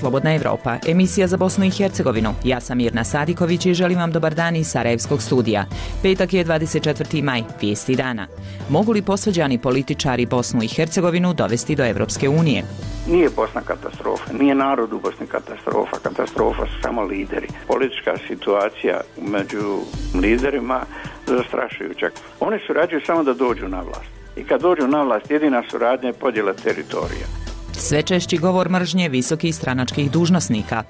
Slobodna Evropa, emisija za Bosnu i Hercegovinu. Ja sam Mirna Sadiković i želim vam dobar dan iz Sarajevskog studija. Petak je 24. maj, vijesti dana. Mogu li posvađani političari Bosnu i Hercegovinu dovesti do Evropske unije? Nije Bosna katastrofa, nije narod u Bosni katastrofa, katastrofa su samo lideri. Politička situacija među liderima zastrašujuća. Oni surađuju samo da dođu na vlast. I kad dođu na vlast, jedina suradnja je podjela teritorija. Sve češći govor mržnje visokih stranačkih dužnosnika.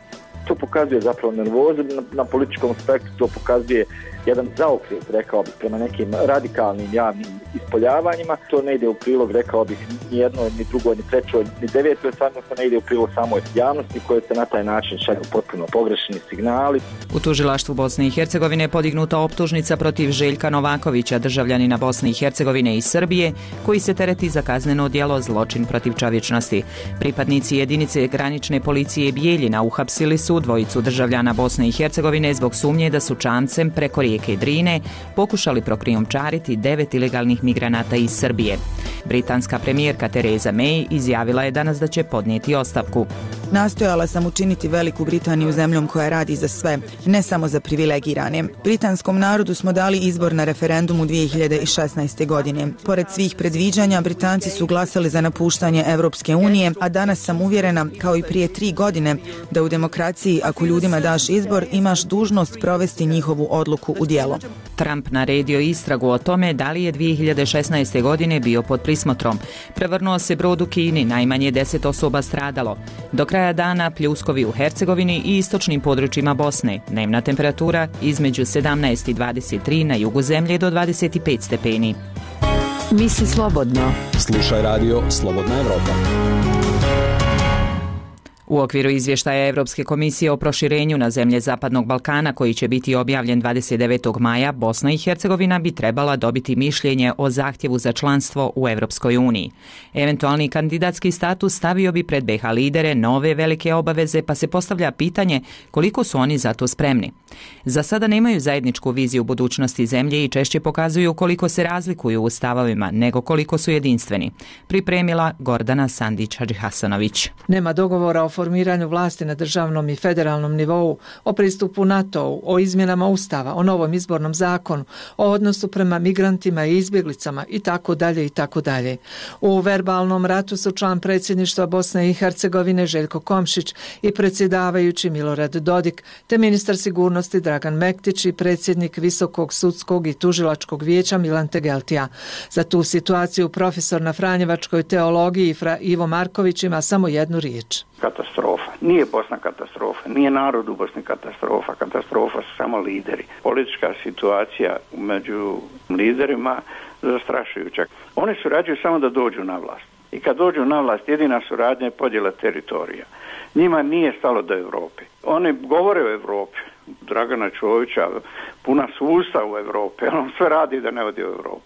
To pokazuje zapravo nervozu na političkom spektru, to pokazuje jedan zaokret, rekao bih, prema nekim radikalnim javnim ispoljavanjima. To ne ide u prilog, rekao bih, ni jednoj, ni drugoj, ni trećoj, ni devetoj, stvarno ne ide u prilog samoj javnosti koje se na taj način šalju potpuno pogrešni signali. U tužilaštvu Bosne i Hercegovine je podignuta optužnica protiv Željka Novakovića, državljanina Bosne i Hercegovine i Srbije, koji se tereti za kazneno djelo zločin protiv čovječnosti. Pripadnici jedinice granične policije Bijeljina uhapsili su dvojicu državljana Bosne i Hercegovine zbog sumnje da su čamcem preko rijeke Drine pokušali prokrijumčariti 9 ilegalnih migranata iz Srbije. Britanska premijerka Theresa May izjavila je danas da će podnijeti ostavku. Nastojala sam učiniti Veliku Britaniju zemljom koja radi za sve, ne samo za privilegirane. Britanskom narodu smo dali izbor na referendumu 2016. godine. Pored svih predviđanja, Britanci su glasali za napuštanje Evropske unije, a danas sam uvjerena, kao i prije 3 godine, da u demokraciji, ako ljudima daš izbor, imaš dužnost provesti njihovu odluku u djelo. Trump naredio istragu o tome da li je 2016. godine bio pod prismotrom. Prevrnuo se brod u Kini, najmanje 10 osoba stradalo. Do kraja dana pljuskovi u Hercegovini i istočnim područjima Bosne. Dnevna temperatura između 17 i 23, na jugu zemlje do 25 stepeni. Misli slobodno. Slušaj radio Slobodna Evropa. U okviru izvještaja Europske komisije o proširenju na zemlje Zapadnog Balkana, koji će biti objavljen 29. maja, Bosna i Hercegovina bi trebala dobiti mišljenje o zahtjevu za članstvo u Europskoj uniji. Eventualni kandidatski status stavio bi pred BiH lidere nove velike obaveze, pa se postavlja pitanje koliko su oni za to spremni. Za sada nemaju zajedničku viziju budućnosti zemlje i češće pokazuju koliko se razlikuju u stavovima nego koliko su jedinstveni. Pripremila Gordana Sandić-Hadžihasanović. Nema dogovora o formiranju vlasti na državnom i federalnom nivou, o pristupu NATO-u, o izmjenama Ustava, o novom izbornom zakonu, o odnosu prema migrantima i izbjeglicama i tako dalje i tako dalje. U verbalnom ratu su član predsjedništva Bosne i Hercegovine Željko Komšić i predsjedavajući Milorad Dodik, te ministar sigurnosti Dragan Mektić i predsjednik Visokog sudskog i tužilačkog vijeća Milan Tegeltija. Za tu situaciju profesor na Franjevačkoj teologiji Ivo Marković ima samo jednu riječ. Katastrofa. Nije Bosna katastrofa, nije narod u Bosni katastrofa, katastrofa su samo lideri. Politička situacija među liderima zastrašujuća. Oni surađuju samo da dođu na vlast. I kad dođu na vlast, jedina suradnja je podjela teritorija. Njima nije stalo do Europe. Oni govore o Europi. Dragana Čovića puna su usta u Europi, on sve radi da ne odi u Europu.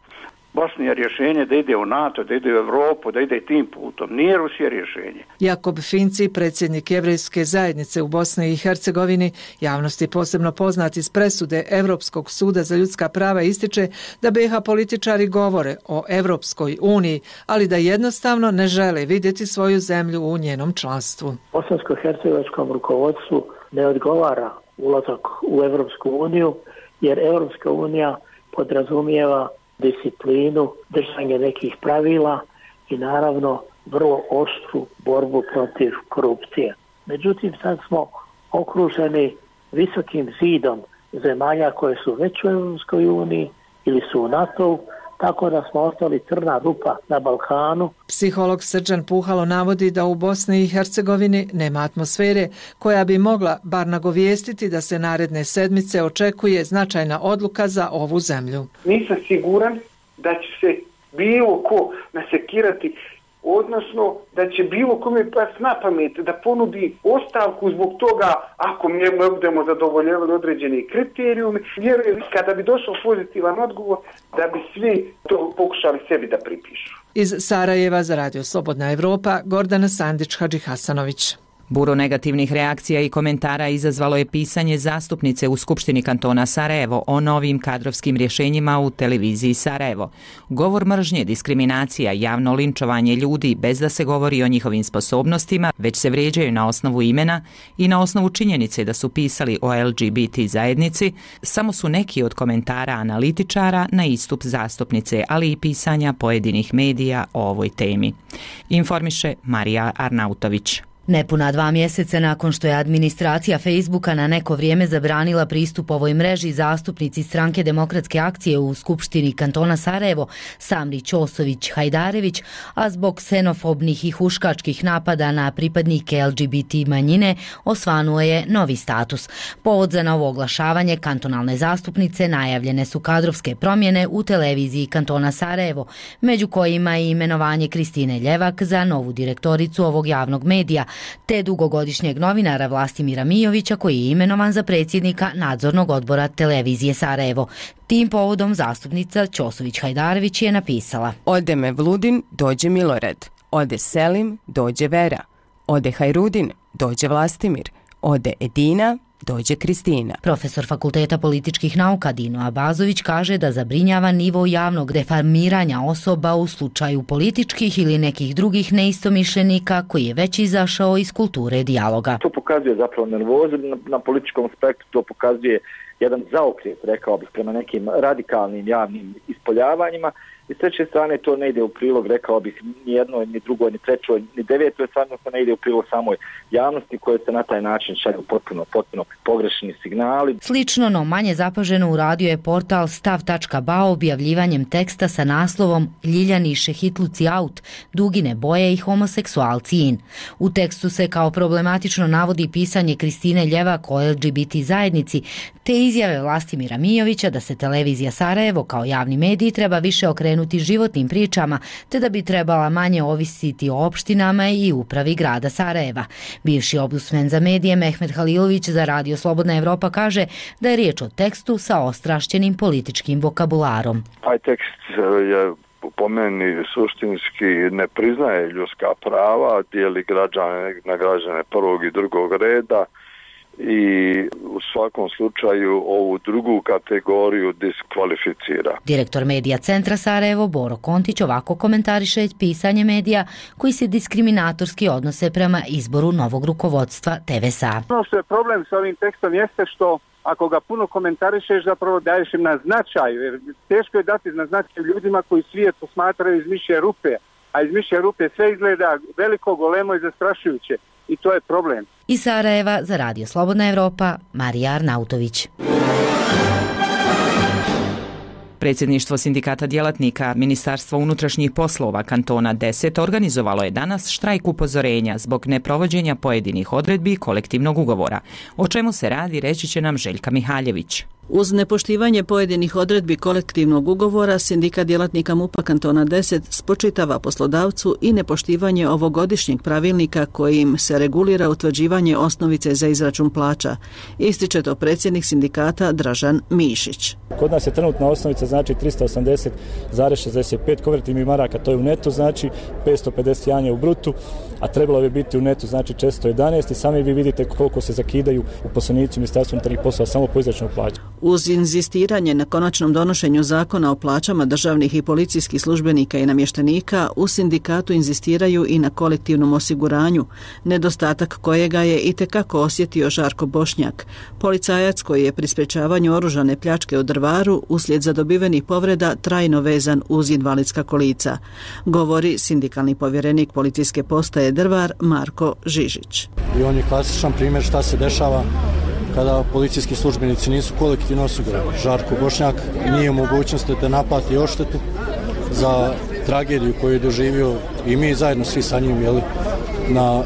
Bosni je rješenje da ide u NATO, da ide u Europu, da ide tim putom. Nije Rusija rješenje. Jakob Finci, predsjednik Jevrejske zajednice u Bosni i Hercegovini, javnosti posebno poznat iz presude Europskog suda za ljudska prava, ističe da BiH političari govore o Europskoj uniji, ali da jednostavno ne žele vidjeti svoju zemlju u njenom članstvu. Bosansko-hercegovačkom rukovodstvu ne odgovara ulazak u Europsku uniju, jer Europska unija podrazumijeva disciplinu, držanje nekih pravila i naravno vrlo oštru borbu protiv korupcije. Međutim, sad smo okruženi visokim zidom zemalja koje su već u Europskoj uniji ili su u NATO-u, tako da smo ostali crna rupa na Balkanu. Psiholog Srđan Puhalo navodi da u Bosni i Hercegovini nema atmosfere koja bi mogla bar nagovijestiti da se naredne sedmice očekuje značajna odluka za ovu zemlju. Nisam siguran da će se bilo ko nasekirati, odnosno da će bilo kome pas na pamet da ponudi ostavku zbog toga ako mi ne budemo zadovoljavali određeni kriterijumi. Vjerujem kada bi došao pozitivan odgovor da bi svi to pokušali sebi da pripišu. Iz Sarajeva za Radio Slobodna Evropa, Gordana Sandić-Hadžihasanović. Buru negativnih reakcija i komentara izazvalo je pisanje zastupnice u Skupštini kantona Sarajevo o novim kadrovskim rješenjima u televiziji Sarajevo. Govor mržnje, diskriminacija, javno linčovanje ljudi bez da se govori o njihovim sposobnostima, već se vrijeđaju na osnovu imena i na osnovu činjenice da su pisali o LGBT zajednici, samo su neki od komentara analitičara na istup zastupnice, ali i pisanja pojedinih medija o ovoj temi. Informiše Marija Arnautović. Nepuna 2 mjeseca nakon što je administracija Facebooka na neko vrijeme zabranila pristup ovoj mreži, zastupnici Stranke demokratske akcije u Skupštini kantona Sarajevo, Samri Ćosović-Hajdarević, a zbog ksenofobnih i huškačkih napada na pripadnike LGBT manjine, osvanuo je novi status. Povod za novo oglašavanje kantonalne zastupnice najavljene su kadrovske promjene u televiziji kantona Sarajevo, među kojima i imenovanje Kristine Ljevak za novu direktoricu ovog javnog medija, te dugogodišnjeg novinara Vlastimira Mijovića koji je imenovan za predsjednika nadzornog odbora televizije Sarajevo. Tim povodom zastupnica Ćosović-Hajdarević je napisala: Ode Mevludin, dođe Milorad. Ode Selim, dođe Vera. Ode Hajrudin, dođe Vlastimir. Ode Edina, dođe Kristina. Profesor Fakulteta političkih nauka Dino Abazović kaže da zabrinjava nivo javnog deformiranja osoba u slučaju političkih ili nekih drugih neistomišljenika koji je već izašao iz kulture dijaloga. To pokazuje zapravo nervozu na političkom spektru, to pokazuje jedan zaokret, rekao bih, prema nekim radikalnim javnim ispoljavanjima. I s treće strane to ne ide u prilog, rekao bih, ni jednoj, ni drugoj, ni trećoj, ni devetoj, to ne ide u prilog samoj javnosti koje se na taj način šalju potpuno pogrešni signali. Slično, no manje zapaženo uradio je portal stav.ba objavljivanjem teksta sa naslovom Ljiljaniše hitluci out, dugine boje i homoseksualci in. U tekstu se kao problematično navodi pisanje Kristine Ljevak o LGBT zajednici, te izjave Vlastimira Mijovića da se televizija Sarajevo kao javni medij treba više okrenuti životnim pričama, te da bi trebala manje ovisiti o opštinama i upravi grada Sarajeva. Bivši ombudsman za medije Mehmet Halilović za Radio Slobodna Evropa kaže da je riječ o tekstu sa ostrašćenim političkim vokabularom. Taj tekst je po meni suštinski ne priznaje ljudska prava, dijeli građane na građane prvog i drugog reda i u svakom slučaju ovu drugu kategoriju diskvalificira. Direktor medija Centra Sarajevo Boro Kontić ovako komentariše pisanje medija koji se diskriminatorski odnose prema izboru novog rukovodstva TVSA. Ono što je problem s ovim tekstom jeste što ako ga puno komentarišeš, zapravo daješ im na značaju, jer teško je dati na značaju ljudima koji svijet posmatraju iz mišje rupe, a iz mišje rupe sve izgleda veliko, golemo i zastrašujuće. I to je problem. Iz Sarajeva za Radio Slobodna Evropa, Marija Arnautović. Predsjedništvo sindikata djelatnika Ministarstva unutrašnjih poslova kantona 10 organizovalo je danas štrajk upozorenja zbog neprovođenja pojedinih odredbi kolektivnog ugovora. O čemu se radi, reći će nam Željka Mihaljević. Uz nepoštivanje pojedinih odredbi kolektivnog ugovora, sindikat djelatnika MUP-a kantona 10 spočitava poslodavcu i nepoštivanje ovogodišnjeg pravilnika kojim se regulira utvrđivanje osnovice za izračun plaća. Ističe to predsjednik sindikata Dražan Mišić. Kod nas je trenutna osnovica znači 380,65 konvertibilnih maraka, to je u netu, znači 551 je u brutu, a trebalo bi biti u netu znači 411 i sami vi vidite koliko se zakidaju uposlenici u Ministarstvu unutarnjih poslova samo po izračunu plaća. Uz inzistiranje na konačnom donošenju zakona o plaćama državnih i policijskih službenika i namještenika, u sindikatu inzistiraju i na kolektivnom osiguranju, nedostatak kojega je itekako osjetio Žarko Bošnjak, policajac koji je pri sprečavanju oružane pljačke u Drvaru uslijed zadobivenih povreda trajno vezan uz invalidska kolica, govori sindikalni povjerenik policijske postaje Drvar Marko Žižić. I on je klasičan primjer šta se dešava kada policijski službenici nisu kolektivno osigurani. Žarko Bošnjak nije u mogućnosti da naplati odštetu za tragediju koju je doživio i mi zajedno svi sa njim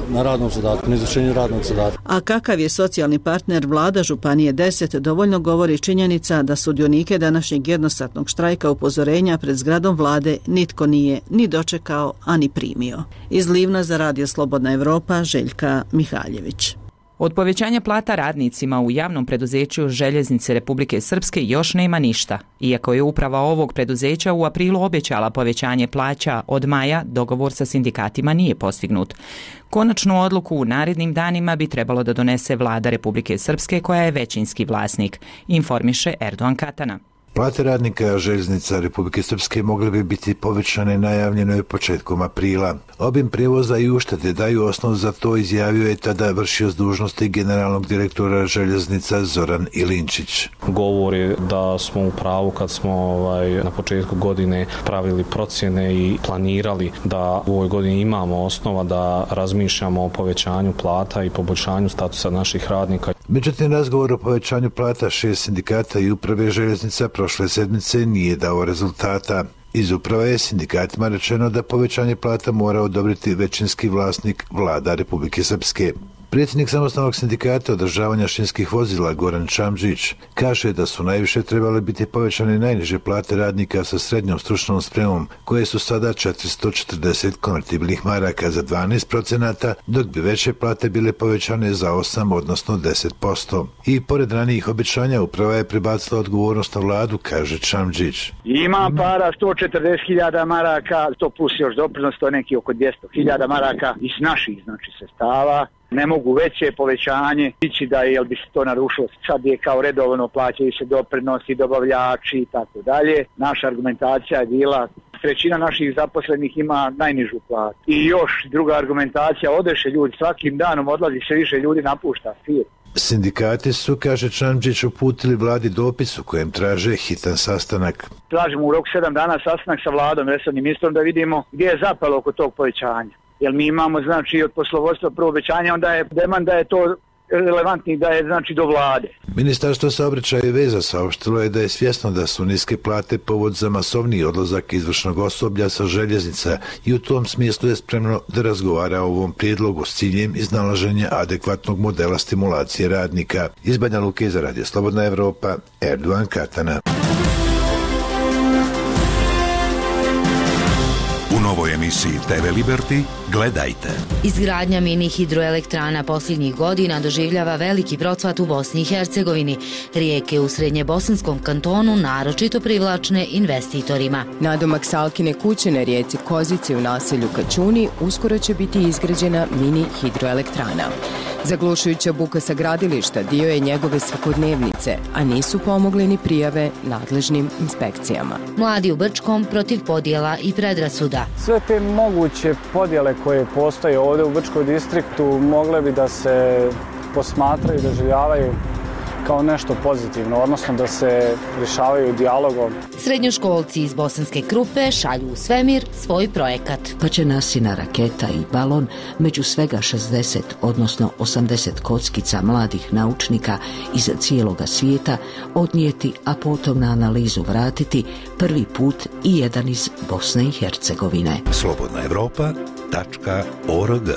na radnom zadatku, na izvršenju radnog zadatka. A kakav je socijalni partner vlada Županije 10 dovoljno govori činjenica da sudionike današnjeg jednostatnog štrajka upozorenja pred zgradom vlade nitko nije ni dočekao, a ni primio. Iz Livna za Radio Slobodna Evropa, Željka Mihaljević. Od povećanja plata radnicima u javnom preduzeću Željeznice Republike Srpske još nema ništa. Iako je uprava ovog preduzeća u aprilu obećala povećanje plaća od maja, dogovor sa sindikatima nije postignut. Konačnu odluku u narednim danima bi trebalo da donese vlada Republike Srpske koja je većinski vlasnik, informiše Erdogan Katana. Plate radnika Željeznica Republike Srpske mogle bi biti povećane najavljeno je početkom aprila. Obim prijevoza i uštede daju osnov za to, izjavio je tada vršioc dužnosti generalnog direktora Željeznica Zoran Ilinčić. Govor je da smo u pravu kad smo na početku godine pravili procjene i planirali da u ovoj godini imamo osnova da razmišljamo o povećanju plata i poboljšanju statusa naših radnika. Međutim, razgovor o povećanju plata 6 sindikata i uprave Željeznica prošle sedmice nije dao rezultata. Iz uprave je sindikatima rečeno da povećanje plata mora odobriti većinski vlasnik vlada Republike Srpske. Predsjednik samostalnog sindikata održavanja šinskih vozila Goran Čamžić kaže da su najviše trebale biti povećane najniže plate radnika sa srednjom stručnom spremom, koje su sada 440 konvertibilnih maraka za 12%, dok bi veće plate bile povećane za 8, odnosno 10%. I pored ranijih obećanja uprava je prebacila odgovornost na vladu, kaže Čamžić. Ima para 140.000 maraka, to plus još doprinos, to je neki oko 200.000 maraka iz naših sredstava. Ne mogu veće povećanje ići da jel bi se to narušilo. Sad je kao redovno plaćaju se doprinosi, dobavljači i tako dalje. Naša argumentacija je bila trećina naših zaposlenih ima najnižu platu. I još druga argumentacija, odeše ljudi, svakim danom odlazi sve više ljudi, napušta firmu. Sindikati su, kaže Čamžić, uputili vladi dopis u kojem traže hitan sastanak. Tražimo u roku 7 dana sastanak sa vladom, resornim ministrom, da vidimo gdje je zapelo oko tog povećanja. Jer mi imamo od poslovodstva prvo obećanje, onda je demand da je to relevantni, da je do vlade. Ministarstvo saobraćaja i veza saopštilo je da je svjesno da su niske plate povod za masovniji odlazak izvršnog osoblja sa željeznica i u tom smislu je spremno da razgovara o ovom prijedlogu s ciljem iznalaženja adekvatnog modela stimulacije radnika. Iz Banja Luke za Radio Slobodna Evropa, Erdogan Katana. U novoj emisiji TV Liberty gledajte. Izgradnja mini hidroelektrana posljednjih godina doživljava veliki procvat u Bosni i Hercegovini. Rijeke u srednjebosanskom kantonu naročito privlačne investitorima. Nadomak Salkine kuće na rijeci Kozici u naselju Kačuni uskoro će biti izgrađena mini hidroelektrana. Zaglušujuća buka sa gradilišta dio je njegove svakodnevnice, a nisu pomogle ni prijave nadležnim inspekcijama. Mladi u Brčkom protiv podjela i predrasuda. Sve te moguće podjele koje postoje ovdje u Brčkom distriktu mogle bi da se posmatraju i doživljavaju kao nešto pozitivno, odnosno da se rješavaju dijalogom. Srednjoškolci iz Bosanske Krupe šalju u svemir svoj projekat. Pa će nasina raketa i balon među svega 60, odnosno 80 kockica mladih naučnika iz cijeloga svijeta odnijeti, a potom na analizu vratiti prvi put i jedan iz Bosne i Hercegovine. slobodnaevropa.org.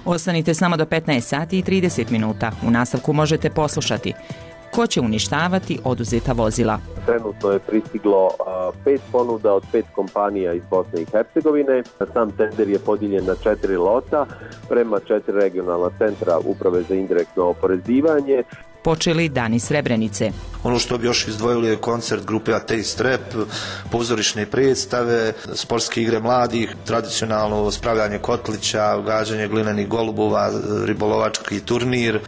Ostanite samo do 15 sati i 30 minuta. U nastavku možete poslušati ko će uništavati oduzeta vozila. Trenutno je pristiglo 5 ponuda od 5 kompanija iz Bosne i Hercegovine. Sam tender je podijeljen na 4 lota prema 4 regionalna centra Uprave za indirektno oporezivanje. Počeli Dani Srebrenice. Ono što bi još izdvojili je koncert grupe Ateist Rap, pozorišne predstave, sportske igre mladih, tradicionalno spravljanje kotlića, gađanje glinenih golubova, ribolovački turnir.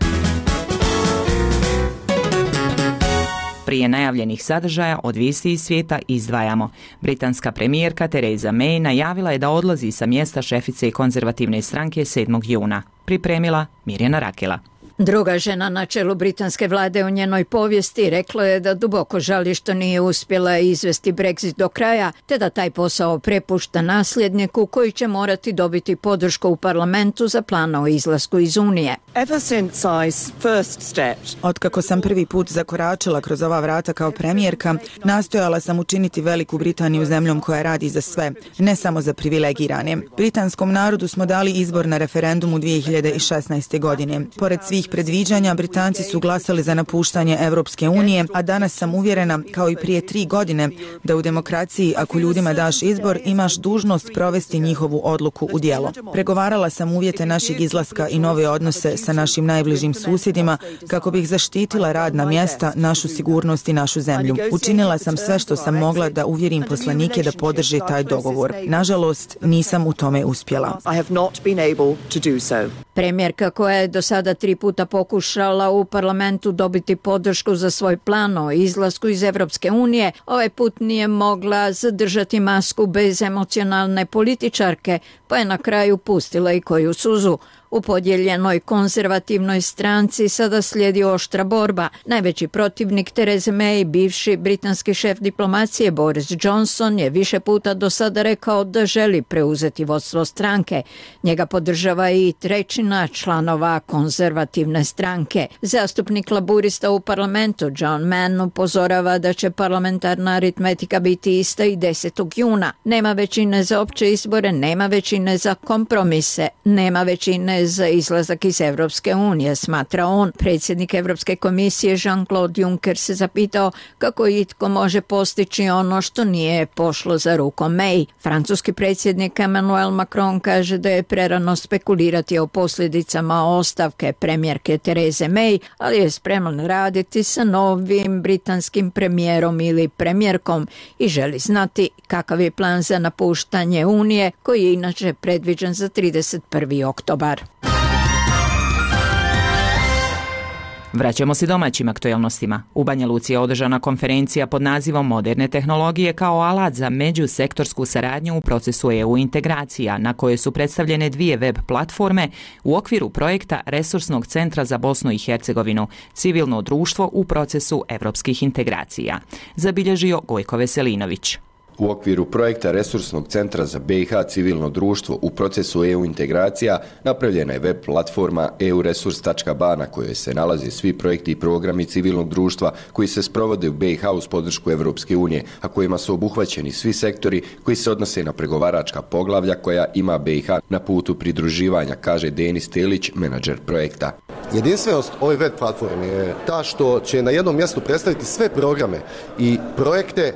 Prije najavljenih sadržaja od vijesti iz svijeta izdvajamo. Britanska premijerka Theresa May najavila je da odlazi sa mjesta šefice konzervativne stranke 7. juna. Pripremila Mirjana Rakela. Druga žena na čelu britanske vlade u njenoj povijesti rekla je da duboko žali što nije uspjela izvesti Brexit do kraja, te da taj posao prepušta nasljedniku koji će morati dobiti podršku u parlamentu za plan o izlasku iz Unije. Otkako sam prvi put zakoračila kroz ova vrata kao premijerka, nastojala sam učiniti Veliku Britaniju zemljom koja radi za sve, ne samo za privilegirane. Britanskom narodu smo dali izbor na referendumu 2016. godine. Pored svih predviđanja Britanci su glasali za napuštanje Evropske unije, a danas sam uvjerena, kao i prije 3 godine, da u demokraciji ako ljudima daš izbor, imaš dužnost provesti njihovu odluku u djelo. Pregovarala sam uvjete našeg izlaska i nove odnose sa našim najbližim susjedima kako bih zaštitila radna mjesta, našu sigurnost i našu zemlju. Učinila sam sve što sam mogla da uvjerim poslanike da podrže taj dogovor. Nažalost, nisam u tome uspjela. Premijerka koja je do sada 3 puta pokušala u parlamentu dobiti podršku za svoj plan o izlasku iz Evropske unije, ovaj put nije mogla zadržati masku bez emocionalne političarke, pa je na kraju pustila i koju suzu. U podijeljenoj konzervativnoj stranci sada slijedi oštra borba. Najveći protivnik Therese May, bivši britanski šef diplomacije Boris Johnson, je više puta do sada rekao da želi preuzeti vodstvo stranke. Njega podržava i 1/3 članova konzervativne stranke. Zastupnik laburista u parlamentu John Mann upozorava da će parlamentarna aritmetika biti ista i 10. juna. Nema većine za opće izbore, nema većine za kompromise, nema većine za izlazak iz Evropske unije, smatra on. Predsjednik Evropske komisije Jean-Claude Juncker se zapitao kako itko može postići ono što nije pošlo za rukom May. Francuski predsjednik Emmanuel Macron kaže da je prerano spekulirati o posljedicama ostavke premijerke Therese May, ali je spreman raditi sa novim britanskim premijerom ili premijerkom i želi znati kakav je plan za napuštanje Unije, koji je inače predviđen za 31. oktobar. Vraćamo se domaćim aktualnostima. U Banja Luci je održana konferencija pod nazivom Moderne tehnologije kao alat za međusektorsku saradnju u procesu EU integracija, na kojoj su predstavljene 2 web platforme u okviru projekta Resursnog centra za Bosnu i Hercegovinu, civilno društvo u procesu evropskih integracija. Zabilježio Gojko Veselinović. U okviru projekta Resursnog centra za BiH civilno društvo u procesu EU integracija napravljena je web platforma euresurs.ba na kojoj se nalaze svi projekti i programi civilnog društva koji se sprovode u BiH uz podršku Evropske unije, a kojima su obuhvaćeni svi sektori koji se odnose na pregovaračka poglavlja koja ima BiH na putu pridruživanja, kaže Denis Telić, menadžer projekta. Jedinstvenost ove web platforme je ta što će na jednom mjestu predstaviti sve programe i projekte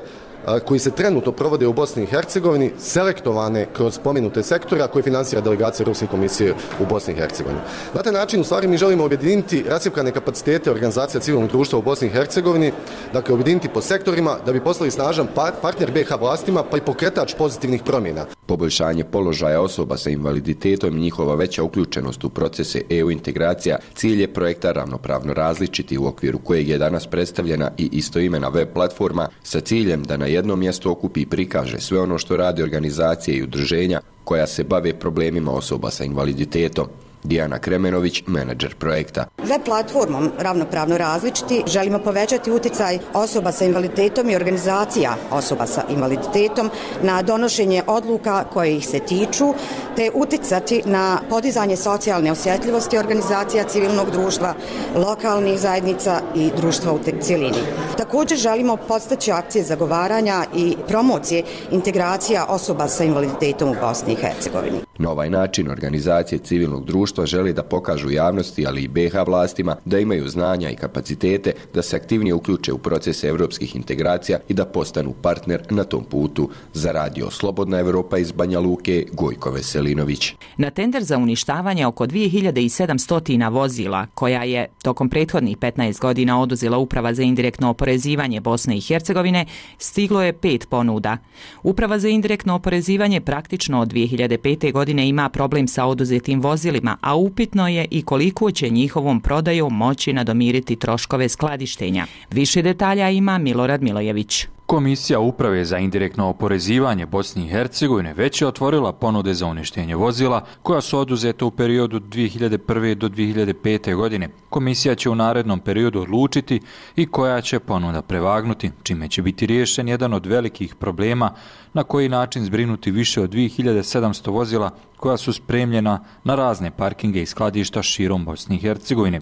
koji se trenutno provode u Bosni i Hercegovini, selektovane kroz spomenute sektora koje finansira delegacija Europske komisije u Bosni i Hercegovini. Na taj način, u stvari, mi želimo objediniti rascjepkane kapacitete organizacija civilnog društva u Bosni i Hercegovini, dakle objediniti po sektorima da bi postali snažan partner BiH vlastima pa i pokretač pozitivnih promjena. Poboljšanje položaja osoba sa invaliditetom i njihova veća uključenost u procese EU integracija cilj je projekta Ravnopravno različiti, u okviru kojeg je danas predstavljena i istoimena web platforma sa ciljem da na jednom mjestu okupi i prikaže sve ono što rade organizacije i udruženja koja se bave problemima osoba sa invaliditetom. Dijana Kremenović, menadžer projekta. Web platformom Ravnopravno različiti želimo povećati utjecaj osoba sa invaliditetom i organizacija osoba sa invaliditetom na donošenje odluka koje ih se tiču, te utjecati na podizanje socijalne osjetljivosti organizacija civilnog društva, lokalnih zajednica i društva u cjelini. Također želimo podstaći akcije zagovaranja i promocije integracija osoba sa invaliditetom u Bosni i Hercegovini. Na ovaj način organizacije civilnog društva žele da pokažu javnosti, ali i BiH vlastima, da imaju znanja i kapacitete da se aktivnije uključe u procese evropskih integracija i da postanu partner na tom putu. Za radio Slobodna Evropa iz Banja Luke, Gojko Veselinović. Na tender za uništavanje oko 2700 vozila, koja je tokom prethodnih 15 godina oduzela Uprava za indirektno oporezivanje Bosne i Hercegovine, stiglo je 5 ponuda. Uprava za indirektno oporezivanje praktično od 2005. godine ima problem sa oduzetim vozilima, a upitno je i koliko će njihovom prodajom moći nadomiriti troškove skladištenja. Više detalja ima Milorad Milojević. Komisija Uprave za indirektno oporezivanje Bosne i Hercegovine već je otvorila ponude za uništenje vozila koja su oduzeta u periodu 2001. do 2005. godine. Komisija će u narednom periodu odlučiti i koja će ponuda prevagnuti, čime će biti riješen jedan od velikih problema na koji način zbrinuti više od 2700 vozila koja su spremljena na razne parkinge i skladišta širom Bosne i Hercegovine.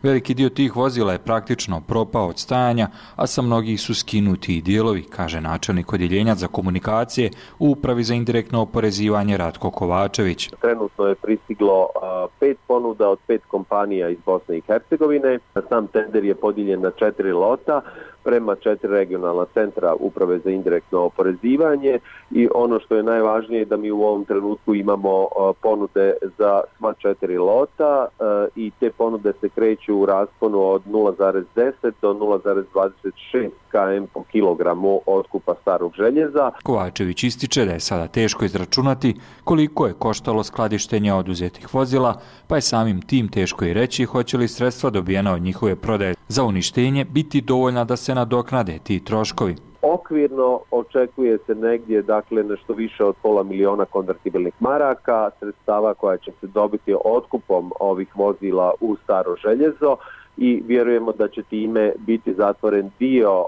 Veliki dio tih vozila je praktično propao od stajanja, a sa mnogih su skinuti i dijelovi, kaže načelnik odjeljenja za komunikacije u Upravi za indirektno oporezivanje Ratko Kovačević. Trenutno je pristiglo 5 ponuda od 5 kompanija iz Bosne i Hercegovine. Sam tender je podijeljen na 4 lota prema 4 regionalna centra Uprave za indirektno oporezivanje i ono što je najvažnije je da mi u ovom trenutku imamo ponude za sva 4 lota i te ponude se kreću u rasponu od 0,10 do 0,26 km po kilogramu otkupa starog željeza. Kovačević ističe da je sada teško izračunati koliko je koštalo skladištenje oduzetih vozila, pa je samim tim teško i reći hoće li sredstva dobijena od njihove prodaje za uništenje biti dovoljna da se nadoknade ti troškovi. Okvirno očekuje se negdje nešto više od $500.000 konvertibilnih maraka, sredstava koja će se dobiti otkupom ovih vozila u staro željezo i vjerujemo da će time biti zatvoren dio,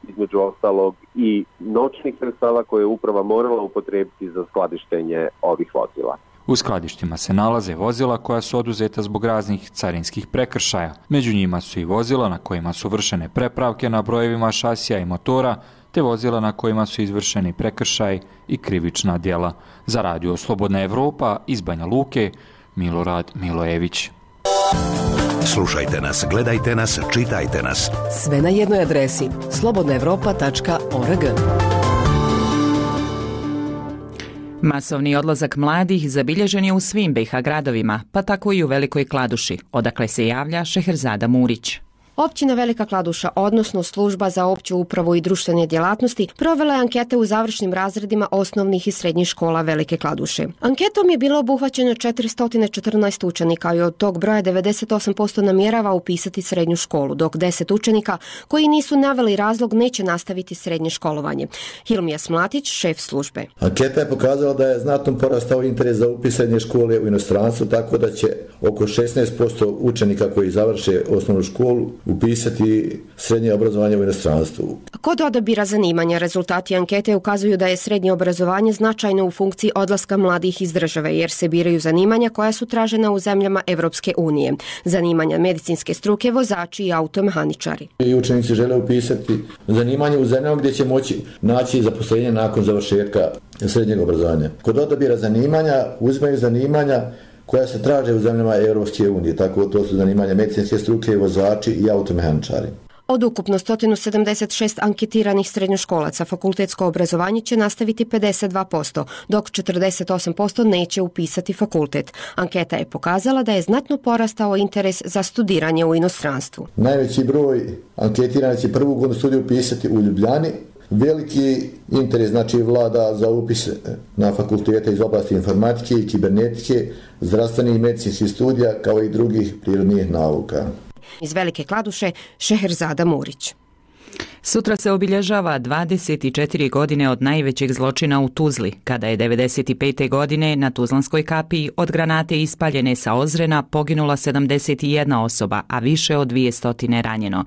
između ostalog i noćnih sredstava koje je uprava morala upotrijebiti za skladištenje ovih vozila. U skladištima se nalaze vozila koja su oduzeta zbog raznih carinskih prekršaja. Među njima su i vozila na kojima su vršene prepravke na brojevima šasija i motora, te vozila na kojima su izvršeni prekršaj i krivična djela. Za Radio Slobodna Evropa iz Banja Luke, Milorad Milojević. Slušajte nas, gledajte nas, čitajte nas. Sve na jednoj adresi slobodnaevropa.org. Masovni odlazak mladih zabilježen je u svim BiH gradovima, pa tako i u Velikoj Kladuši, odakle se javlja Šeherzada Murić. Općina Velika Kladuša, odnosno Služba za opću upravu i društvene djelatnosti, provela je ankete u završnim razredima osnovnih i srednjih škola Velike Kladuše. Anketom je bilo obuhvaćeno 414 učenika i od tog broja 98% namjerava upisati srednju školu, dok 10 učenika koji nisu naveli razlog neće nastaviti srednje školovanje. Hilmija Smlatić, šef službe. Anketa je pokazala da je znatno porastao interes za upis srednje škole u inostranstvu, tako da će oko 16% učenika koji završe osnovnu školu upisati srednje obrazovanje u inostranstvu. Kod odabira zanimanja rezultati ankete ukazuju da je srednje obrazovanje značajno u funkciji odlaska mladih iz države, jer se biraju zanimanja koja su tražena u zemljama Evropske unije. Zanimanja medicinske struke, vozači i automehaničari. I učenici žele upisati zanimanje u zemljama gdje će moći naći zaposlenje nakon završetka srednjeg obrazovanja. Kod odabira zanimanja uzimaju zanimanja koja se traže u zemljama Europske unije, tako to su zanimanja medicinske struke, vozači i automehaničari. Od ukupno 176 anketiranih srednjoškolaca fakultetsko obrazovanje će nastaviti 52%, dok 48% neće upisati fakultet. Anketa je pokazala da je znatno porastao interes za studiranje u inostranstvu. Najveći broj anketiranih će prvu godinu studiju upisati u Ljubljani. Veliki interes vlada za upis na fakultete iz oblasti informatike i kibernetike, zdravstvenih i medicinskih studija kao i drugih prirodnih nauka. Iz Velike Kladuše, Šeherzada Murić. Sutra se obilježava 24 godine od najvećeg zločina u Tuzli, kada je 95. godine na Tuzlanskoj kapiji od granate ispaljene sa Ozrena poginula 71 osoba, a više od 200 ranjeno.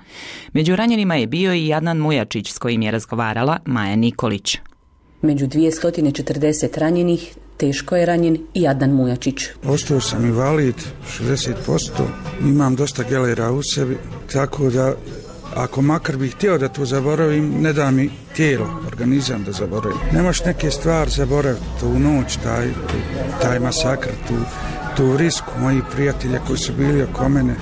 Među ranjenima je bio i Adnan Mujačić, s kojim je razgovarala Maja Nikolić. Među 240 ranjenih teško je ranjen i Adnan Mujačić. Ostao sam invalid, 60%, imam dosta gelera u sebi, tako da ako makar bih htio da to zaboravim, ne da mi tijelo, organizam da zaboravim. Nemaš neke stvari zaboraviti, tu noć, taj masakr, tu risku mojih prijatelja koji su bili oko mene.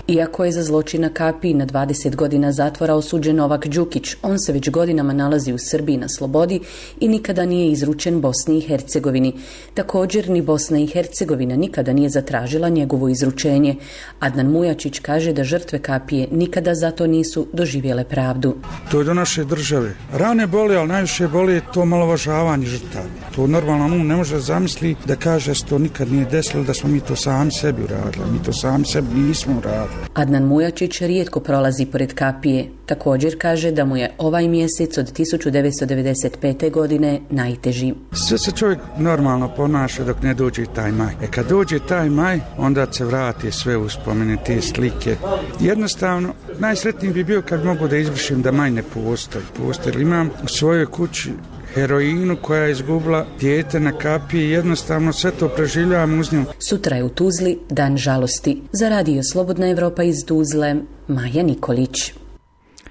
Iako je za zločin na kapiji na 20 godina zatvora osuđen Novak Đukić, on se već godinama nalazi u Srbiji na slobodi i nikada nije izručen Bosni i Hercegovini. Također ni Bosna i Hercegovina nikada nije zatražila njegovo izručenje. Adnan Mujačić kaže da žrtve kapije nikada zato nisu doživjele pravdu. To je do naše države. Rane boli, ali najviše boli to malovažavanje žrtava. To normalno ne može zamisli da kaže da se to nikad nije desilo, da smo mi to sami sebi uradili. Mi to sami sebi nismo uradili. Adnan Mujačić rijetko prolazi pored kapije. Također kaže da mu je ovaj mjesec od 1995. godine najteži. Sve se čovjek normalno ponaša dok ne dođe taj maj. Kad dođe taj maj, onda se vrati sve uspomene, te slike. Jednostavno, najsretniji bi bio kad mogu da izvršim da maj ne postoji. Jer imam u svojoj kući heroinu, koja je izgubila dijete na kapiji, jednostavno sve to preživljavam uz nju. Sutra je u Tuzli dan žalosti. Za radio Slobodna Evropa iz Tuzle, Maja Nikolić.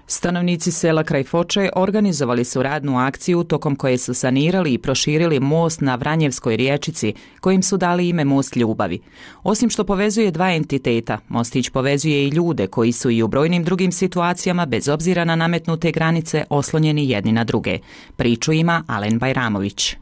Stanovnici sela kraj Foče organizovali su radnu akciju tokom koje su sanirali i proširili most na Vranjevskoj riječici, kojim su dali ime Most ljubavi. Osim što povezuje dva entiteta, mostić povezuje i ljude koji su i u brojnim drugim situacijama, bez obzira na nametnute granice, oslonjeni jedni na druge. Priču ima Alen Bajramović.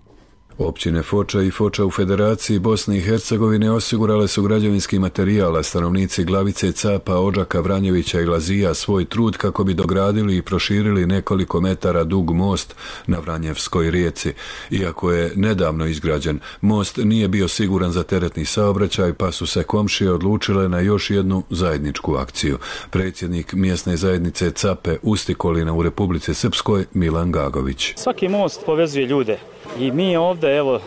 Općine Foča i Foča u Federaciji Bosne i Hercegovine osigurale su građevinski materijal, a stanovnici Glavice, Capa, Odžaka, Vranjevića i Lazija svoj trud kako bi dogradili i proširili nekoliko metara dug most na Vranjevskoj rijeci. Iako je nedavno izgrađen, most nije bio siguran za teretni saobraćaj, pa su se komšije odlučile na još jednu zajedničku akciju. Predsjednik mjesne zajednice Cape Ustikolina u Republici Srpskoj, Milan Gagović. Svaki most povezuje ljude. I mi ovdje, evo,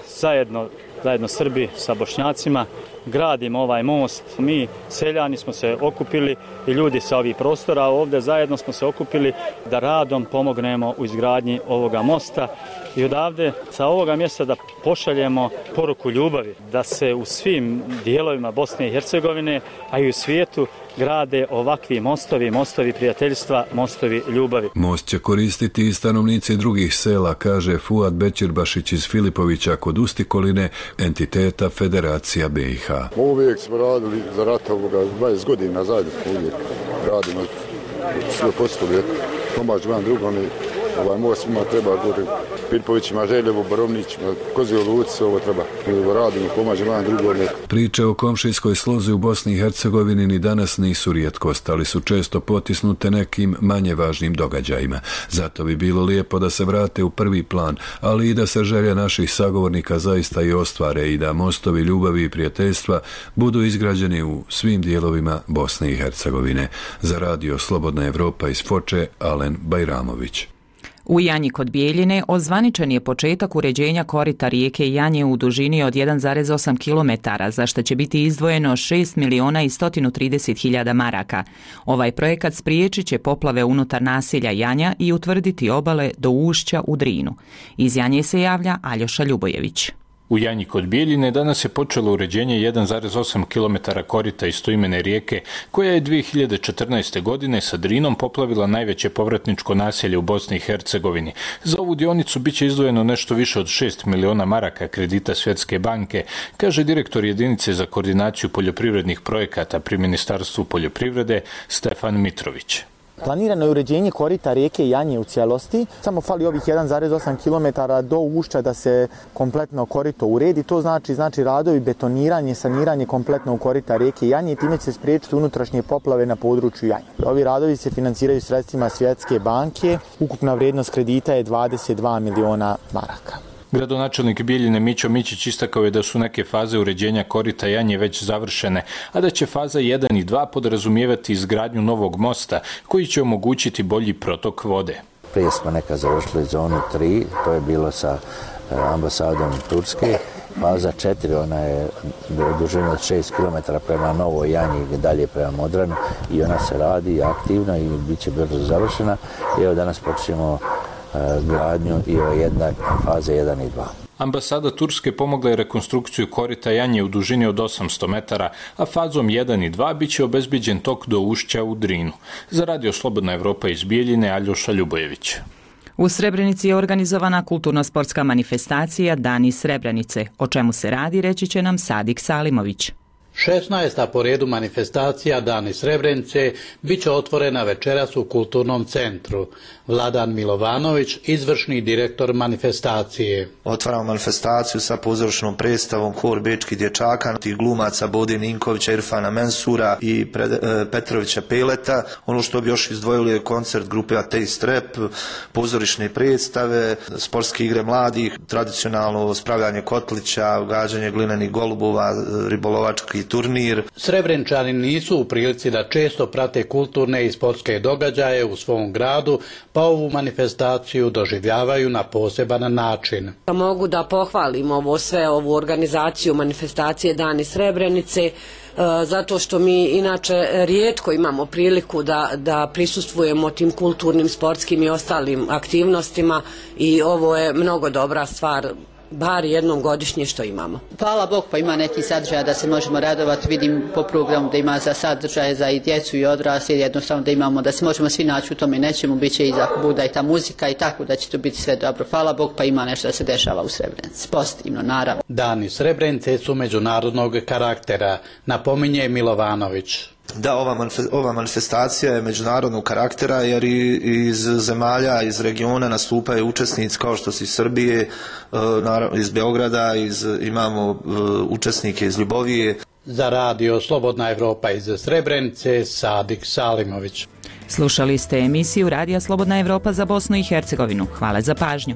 zajedno Srbi sa Bošnjacima, gradimo ovaj most. Mi, seljani, smo se okupili i ljudi sa ovih prostora, ovdje zajedno smo se okupili da radom pomognemo u izgradnji ovoga mosta i odavde, sa ovoga mjesta, da pošaljemo poruku ljubavi, da se u svim dijelovima Bosne i Hercegovine, a i u svijetu, grade ovakvi mostovi prijateljstva, mostovi ljubavi. Most će koristiti i stanovnici drugih sela, kaže Fuad Bećirbašić iz Filipovića kod Ustikoline, entiteta Federacija BiH. Uvijek smo radili za rata 20 godina zajedno, uvijek radimo sve postoje, pomažemo jedan drugom i ovaj most svima treba, govorim, Filipovićima, Željevu, Borovnićima, Kozio Luci, ovo treba. Radimo, pomažemo jedan drugom. Priče o komšijskoj slozi u Bosni i Hercegovini ni danas nisu rijetkost, ali su često potisnute nekim manje važnim događajima. Zato bi bilo lijepo da se vrate u prvi plan, ali i da se želje naših sagovornika zaista i ostvare i da mostovi ljubavi i prijateljstva budu izgrađeni u svim dijelovima Bosne i Hercegovine. Za radio Slobodna Evropa iz Foče, Alen Bajramović. U Janji kod Bijeljine ozvaničen je početak uređenja korita rijeke Janje u dužini od 1,8 km, za što će biti izdvojeno 6.130.000 maraka. Ovaj projekat spriječit će poplave unutar naselja Janja i utvrditi obale do ušća u Drinu. Iz Janje se javlja Aljoša Ljubojević. U Janji kod Bijeljine danas je počelo uređenje 1,8 km korita istoimene rijeke, koja je 2014. godine sa Drinom poplavila najveće povratničko naselje u Bosni i Hercegovini. Za ovu dionicu biće izdvojeno nešto više od 6 miliona maraka kredita Svjetske banke, kaže direktor jedinice za koordinaciju poljoprivrednih projekata pri Ministarstvu poljoprivrede Stefan Mitrović. Planirano je uređenje korita rijeke Janje u cijelosti, samo fali ovih 1,8 km do ušća da se kompletno korito uredi. To znači radovi, betoniranje, saniranje kompletnog korita rijeke Janje i time će se spriječiti unutrašnje poplave na području Janje. Ovi radovi se financiraju sredstvima Svjetske banke, ukupna vrijednost kredita je 22 miliona maraka. Gradonačelnik Bijeljine Mićo Mićić istakao je da su neke faze uređenja korita Janje već završene, a da će faza 1 i 2 podrazumijevati izgradnju novog mosta koji će omogućiti bolji protok vode. Prije smo neka završili zonu 3, to je bilo sa ambasadom Turske. Faza 4, ona je dužina od 6 km prema Novoj Janji i dalje prema Modranu i ona se radi aktivno i bit će brzo završena. I evo danas počnemo gradnju i faze 1 i 2. Ambasada Turske pomogla je rekonstrukciju korita Janje u dužini od 800 metara, a fazom 1 i 2 biće obezbeđen tok do ušća u Drinu. Za radio Slobodna Evropa iz Bijeljine, Aljoša Ljubojević. U Srebrenici je organizovana kulturno-sportska manifestacija Dani Srebrenice. O čemu se radi, reći će nam Sadik Salimović. 16. po redu manifestacija Dani Srebrenice bit će otvorena večeras u Kulturnom centru. Vladan Milovanović, izvršni direktor manifestacije. Otvaramo manifestaciju sa pozorišnom predstavom Hor bečkih dječaka, tih glumaca Bode Ninkovića, Irfana Mensura i Petrovića Peleta. Ono što bi još izdvojili je koncert grupe Ateist Rap, pozorišne predstave, sportske igre mladih, tradicionalno spravljanje kotlića, gađanje glinenih golubova, ribolovački turnir. Srebrenčani nisu u prilici da često prate kulturne i sportske događaje u svom gradu, pa ovu manifestaciju doživljavaju na poseban način. Mogu da pohvalim ovu organizaciju manifestacije Dani Srebrenice, zato što mi inače rijetko imamo priliku da prisustvujemo tim kulturnim, sportskim i ostalim aktivnostima i ovo je mnogo dobra stvar, bar jednom godišnje što imamo. Hvala Bog, pa ima neki sadržaj da se možemo radovati, vidim po programu da ima za sadržaje za i djecu i odrasle, jednostavno da imamo, da se možemo svi naći u tome nečemu, bit će i za Buda i ta muzika i tako da će to biti sve dobro. Hvala Bog, pa ima nešto da se dešava u Srebrenici, pozitivno naravno. Dani Srebrenice su međunarodnog karaktera, napominje Milovanović. Da, ova manifestacija je međunarodnog karaktera jer iz zemalja, iz regiona nastupaju učesnici kao što su iz Srbije, iz Beograda, imamo učesnike iz Ljubovije. Za radio Slobodna Evropa iz Srebrenice, Sadik Salimović. Slušali ste emisiju Radija Slobodna Evropa za Bosnu i Hercegovinu. Hvala za pažnju.